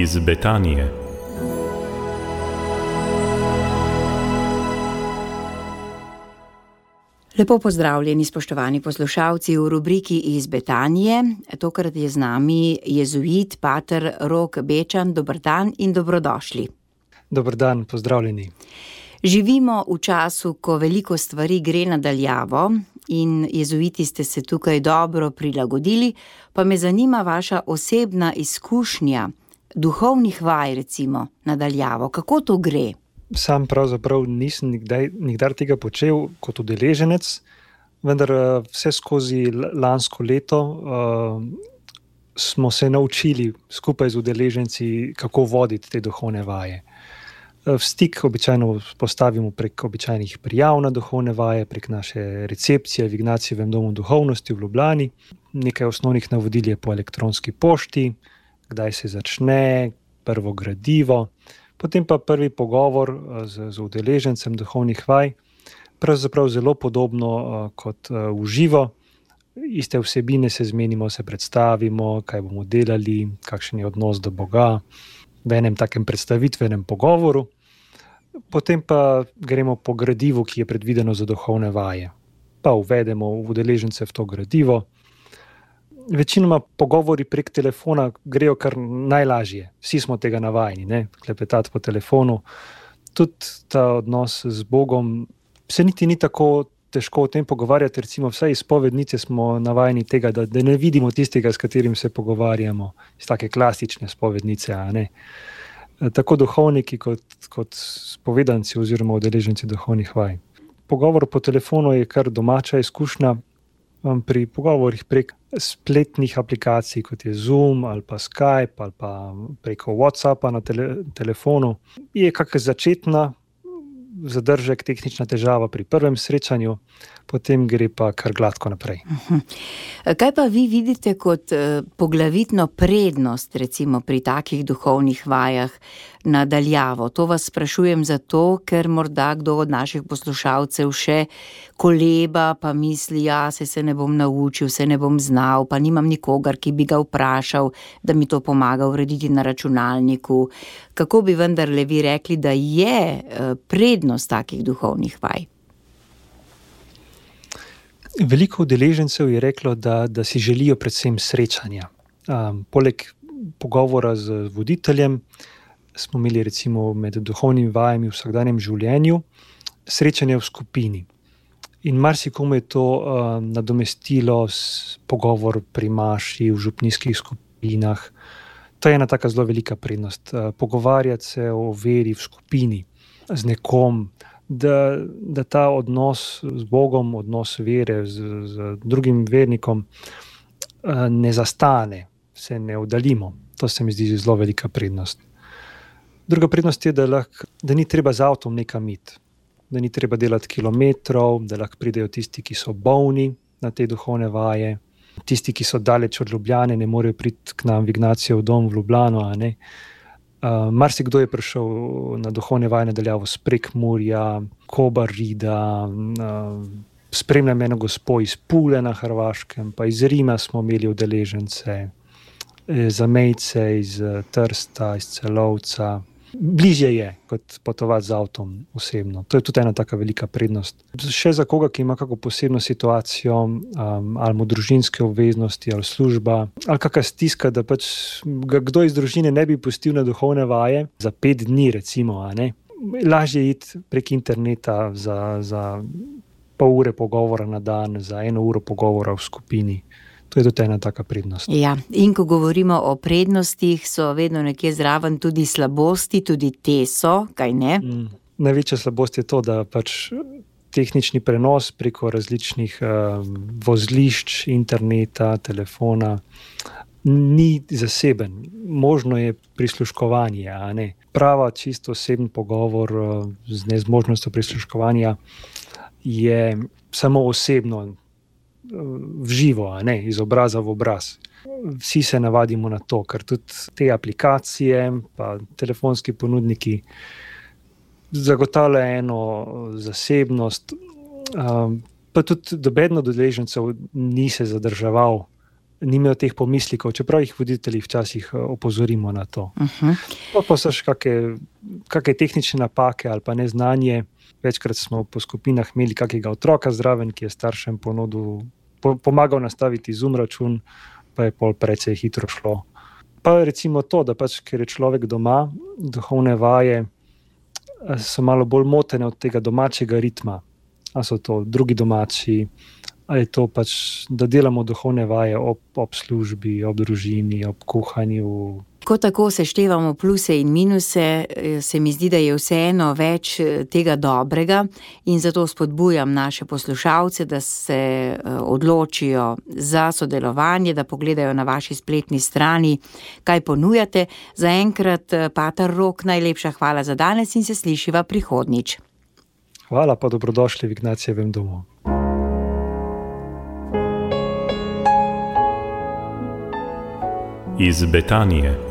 iz Betanije. Lepo pozdravljeni, spoštovani poslušalci v rubriki iz Betanije. Tokrat je z nami jezuit pater Rok Bečan. Dober dan in dobrodošli. Dober dan, pozdravljeni. Živimo v času, ko veliko stvari gre na daljavo in jezuiti ste se tukaj dobro prilagodili, pa me zanima vaša osebna izkušnja duhovnih vaj, recimo, na daljavo. Kako to gre? Sam pravzaprav nisem nikdar tega počel kot udeleženec, vendar vse skozi lansko leto smo se naučili skupaj z udeleženci, kako voditi te duhovne vaje. Stik običajno postavimo prek običajnih prijav na duhovne vaje, prek naše recepcije v Ignacijevem domu duhovnosti v Ljubljani. Nekaj osnovnih navodil je po elektronski pošti, kdaj se začne, prvo gradivo, potem pa prvi pogovor z udeležencem duhovnih vaj, pravzaprav zelo podobno kot v živo. Iste vsebine se zmenimo, se predstavimo, kaj bomo delali, kakšen je odnos do Boga, v enem takem predstavitvenem pogovoru. Potem pa gremo po gradivu, ki je predvideno za duhovne vaje. Pa uvedemo udeležence v to gradivo. Večinoma pogovori prek telefona grejo kar najlažje. Vsi smo tega navajeni, ne? Klepetati po telefonu. Tudi ta odnos z Bogom se niti ni tako težko o tem pogovarjati. Recimo vsaj iz spovednice smo navajeni tega, da ne vidimo tistega, s katerim se pogovarjamo. Iz take klasične spovednice, a ne. Tako duhovniki kot spovedanci oziroma udeleženci duhovnih vaj. Pogovor po telefonu je kar domača izkušnja. Pri pogovorih prek spletnih aplikacij, kot je Zoom ali pa Skype ali pa preko WhatsAppa na telefonu, je kakšna začetna zadržek, tehnična težava pri prvem srečanju, potem gre pa kar gladko naprej. Kaj pa vi vidite kot poglavitno prednost, recimo pri takih duhovnih vajah na daljavo? To vas sprašujem zato, ker morda kdo od naših poslušalcev še koleba, pa misli, se ne bom naučil, se ne bom znal, pa nimam nikogar, ki bi ga vprašal, da mi to pomaga urediti na računalniku. Kako bi vendarle vi rekli, da je prednost takih duhovnih vaj? Veliko udeležencev je reklo, da si želijo predvsem srečanja. Poleg pogovora z voditeljem smo imeli recimo med duhovnimi vajami v vsakdanjem življenju srečanje v skupini. In marsikomu je to nadomestilo pogovor pri maši, v župnijskih skupinah. To je ena taka zelo velika prednost. Pogovarjati se o veri v skupini z nekom, da ta odnos z Bogom, odnos vere z drugim vernikom ne zastane, se ne oddaljimo. To se mi zdi zelo velika prednost. Druga prednost je, da ni treba z avtom nekam iti, da ni treba delati kilometrov, da lahko pridejo tisti, ki so bolni na te duhovne vaje, tisti, ki so daleč od Ljubljane, ne morejo priti k nam v Ignacijev dom v Ljubljano, a ne. Marsikdo je prišel na duhovne vaje na daljavo s Prekmurja, Kobarida, spremljam eno gospo iz Pule na Hrvaškem, pa iz Rima smo imeli udeležence, zamejce iz Trsta, iz Celovca. Bližje je, kot potovati z avtom osebno. To je tudi ena taka velika prednost. Še za koga, ki ima kako posebno situacijo, ali mu družinske obveznosti, ali služba, ali kakšna stiska, da pač ga kdo iz družine ne bi pustil na duhovne vaje za 5 dni, recimo, a ne. Lažje iti prek interneta za pol ure pogovora na dan, za 1 uro pogovora v skupini. To je tudi ena taka prednost. Ja, in ko govorimo o prednostih, so vedno nekje zraven tudi slabosti, tudi te so, kaj ne? Največja slabost je to, da pač tehnični prenos preko različnih vozlišč, interneta, telefona ni zaseben. Možno je prisluškovanje, a ne. Prava, čisto oseben pogovor z nezmožnostjo prisluškovanja je samo osebno, v živo, a ne, iz obraza v obraz. Vsi se navadimo na to, ker tudi te aplikacije pa telefonski ponudniki zagotavljajo eno zasebnost, pa tudi nobeden od udeležencev ni se zadrževal nimajo teh pomislikov, čeprav jih voditelji včasih opozorimo na to. Pa so še kakšne tehnične napake ali pa neznanje. Večkrat smo po skupinah imeli kakega otroka zraven, ki je staršem pomagal nastaviti Zoom račun, pa je pol precej hitro šlo. Pa recimo to, da pač, ker je človek doma, duhovne vaje so malo bolj motene od tega domačega ritma. A so to drugi domači, ali to pač, da delamo duhovne vaje ob službi, ob družini, ob kuhanju. Ko tako seštevamo pluse in minuse, se mi zdi, da je vseeno več tega dobrega in zato spodbujam naše poslušalce, da se odločijo za sodelovanje, da pogledajo na vaši spletni strani, kaj ponujate. Zaenkrat, pater Rok, najlepša hvala za danes in se slišiva prihodnjič. Hvala, pa dobrodošli v Ignacijevem domu. Iz Betanije.